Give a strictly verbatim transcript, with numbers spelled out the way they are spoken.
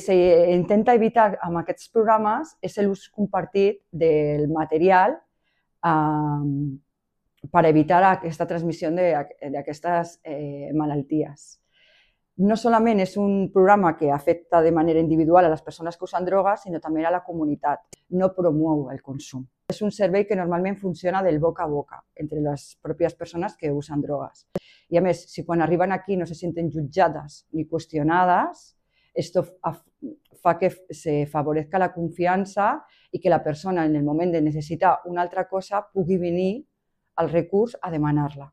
S'intenta evitar amb aquests programes és l'ús compartit del material eh, per evitar aquesta transmissió d'aquestes eh, malalties. No solament és un programa que afecta de manera individual a les persones que usen drogues, sinó també a la comunitat. No promou el consum. És un servei que normalment funciona del boca a boca entre les pròpies persones que usen drogues. I a més, si quan arriben aquí no se senten jutjades ni qüestionades, esto fa que se favorezca la confiança i que la persona en el moment de necessitar una altra cosa pugui venir al recurs a demanar-la.